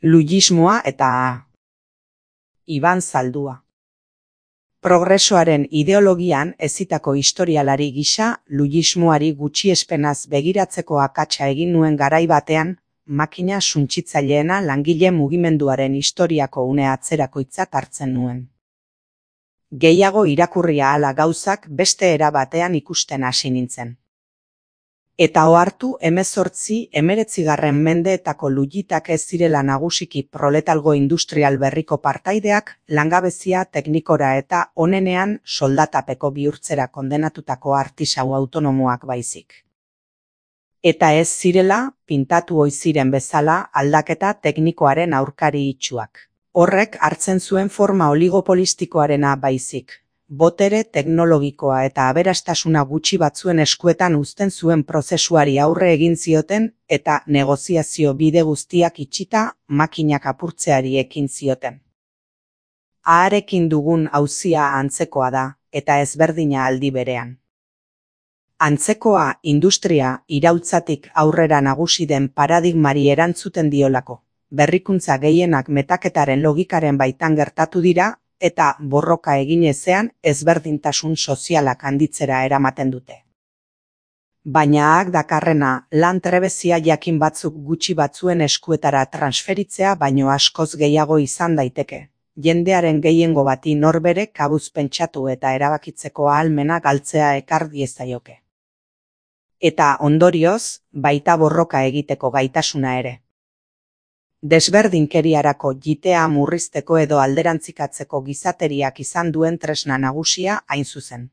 Lujismoa eta Iban Zaldua. Progresoaren ideologian hezitako historialari gisa, lujismoari gutxiespenaz begiratzeko akatsa egin nuen garai batean, makina suntsitzaileena langile mugimenduaren historiako une atzerakoitzat hartzen nuen. Gehiago irakurri ahala gauzak beste era batean ikusten hasi nintzen. Eta ohartu 19. mendeetako lujitak ez zirela nagusiki proletalgo industrial berriko partaideak langabezia teknikora eta onenean soldatapeko bihurtzera kondenatutako artisau autonomoak baizik. Eta ez zirela pintatu ohi ziren bezala aldaketa teknikoaren aurkari itsuak. Horrek hartzen zuen forma oligopolistikoarena baizik. Botere teknologikoa eta aberastasuna gutxi batzuen eskuetan uzten zuen prozesuari aurre egin zioten eta negoziazio bide guztiak itxita makinak apurtzeari ekin zioten. Harekin dugun auzia antzekoa da eta ezberdina aldi berean. Antzekoa industria iraultzatik aurrera nagusi den paradigmari erantzuten diolako. Berrikuntza gehienak metaketaren logikaren baitan gertatu dira, eta borroka egin ezean ezberdintasun sozialak handitzera eramaten dute. Baina dakarrena lan trebezia jakin batzuk gutxi batzuen eskuetara transferitzea baino askoz gehiago izan daiteke. Jendearen gehiengo bati norbere kabuz pentsatu eta erabakitzeko ahalmena galtzea ekar diezaioke. Eta ondorioz, baita borroka egiteko gaitasuna ere. Desberdinkeriarako jitea murrizteko edo alderantzikatzeko gizateriak izan duen tresna nagusia hain zuzen.